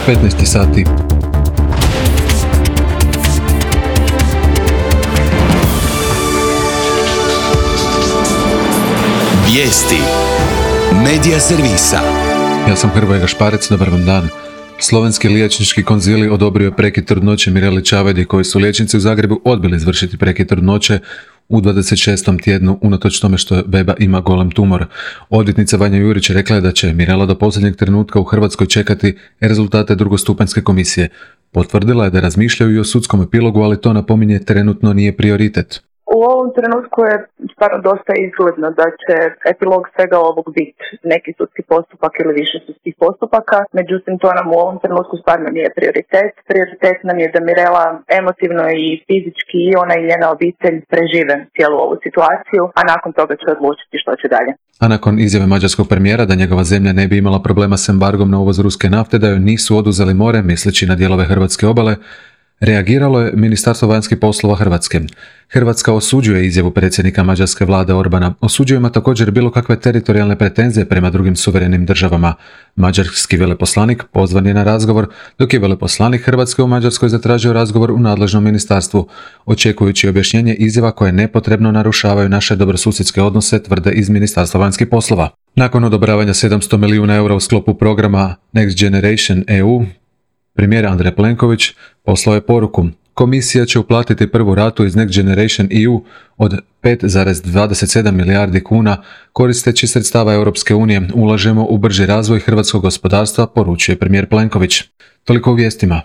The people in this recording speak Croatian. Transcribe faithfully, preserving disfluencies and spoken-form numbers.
petnaest sati. Vijesti Medija servisa. Ja sam Hrvoje Gašparec, dobar vam dan. Slovenski liječnički konzili odobrio je prekid trudnoće Mireli Čavajdi, koji su liječnici u Zagrebu odbili izvršiti prekid trudnoće u dvadeset šestom tjednu, unatoč tome što beba ima golem tumor. Odvjetnica Vanja Jurić rekla je da će Mirela do posljednjeg trenutka u Hrvatskoj čekati rezultate drugostupanjske komisije. Potvrdila je da razmišljaju i o sudskom epilogu, ali to, napominje, trenutno nije prioritet. U ovom trenutku je stvarno dosta izgledno da će epilog svega ovog biti neki sudski postupak ili više sudskih postupaka, međutim to nam u ovom trenutku stvarno nije prioritet. Prioritet nam je da Mirela emotivno i fizički i ona i njena obitelj prežive cijelu ovu situaciju, a nakon toga će odlučiti što će dalje. A nakon izjave mađarskog premijera da njegova zemlja ne bi imala problema s embargom na uvoz ruske nafte, da joj nisu oduzeli more, misleći na dijelove hrvatske obale, reagiralo je Ministarstvo vanjskih poslova Hrvatske. Hrvatska osuđuje izjavu predsjednika mađarske vlade Orbana. Osuđujemo također bilo kakve teritorijalne pretenzije prema drugim suverenim državama. Mađarski veleposlanik pozvan je na razgovor, dok je veleposlanik Hrvatske u Mađarskoj zatražio razgovor u nadležnom ministarstvu, očekujući objašnjenje izjava koje nepotrebno narušavaju naše dobrosusjedske odnose, tvrde iz Ministarstva vanjskih poslova. Nakon odobravanja sedamsto milijuna eura u sklopu programa Next Generation E U, premijer Andrej Plenković poslao je poruku: komisija će uplatiti prvu ratu iz Next Generation E U od pet zarez dvadeset sedam milijardi kuna koristeći sredstava Europske unije. Ulažemo u brži razvoj hrvatskog gospodarstva, poručuje premijer Plenković. Toliko u vijestima.